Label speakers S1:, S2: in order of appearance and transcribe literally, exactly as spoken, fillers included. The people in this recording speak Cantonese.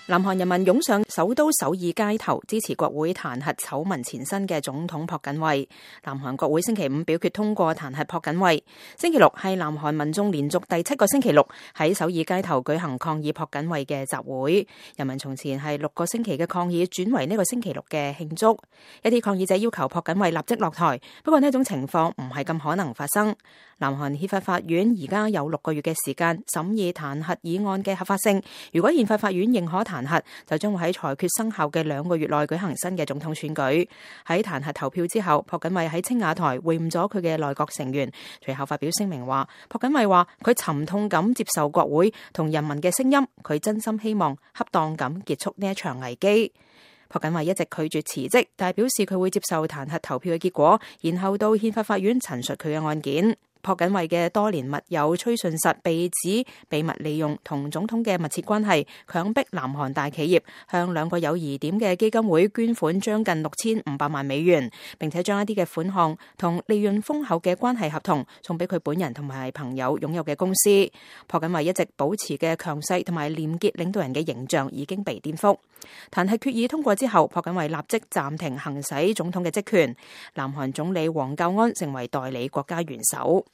S1: 南韓人民湧上首都首爾街頭支持國會彈劾醜聞纏身嘅總統朴槿惠。南韓國會星期五表決通過彈劾朴槿惠。星期六係南韓民眾連續第七個星期六喺首爾街頭舉行抗議朴槿惠嘅集會。人民從前係六個星期嘅抗議轉為呢個星期六嘅慶祝。一啲抗議者要求朴槿惠立即落台，不過呢種情況唔係咁可能發生。南韓憲法法院而家有六個月嘅時間審議彈劾議案嘅合法性。如果憲法法院認可彈劾，就將會喺裁決生效嘅兩個月內舉行新嘅總統選舉。喺彈劾投票之後，朴槿惠喺青瓦台會晤咗佢嘅內閣成員，隨後發表聲明話，朴槿惠話佢沉痛咁接受國會同人民嘅聲音，佢真心希望恰當咁結束呢一場危機。朴槿惠一直拒絕辭職，但係表示佢會接受彈劾投票嘅結果，然後到憲法法院陳述佢嘅案件。朴槿惠嘅多年密友崔順實被指秘密利用同總統嘅密切關係，強迫南韓大企業向兩個有疑點嘅基金會捐款將近六千五百萬美元，並且將一啲嘅款項同利潤豐厚嘅關係合同送俾佢本人同埋朋友擁有嘅公司。朴槿惠一直保持嘅強勢同埋廉潔領導人嘅形象已經被顛覆。彈劾決議通過之後，朴槿惠立即暫停行使總統嘅職權。南韓總理黃教安成為代理國家元首。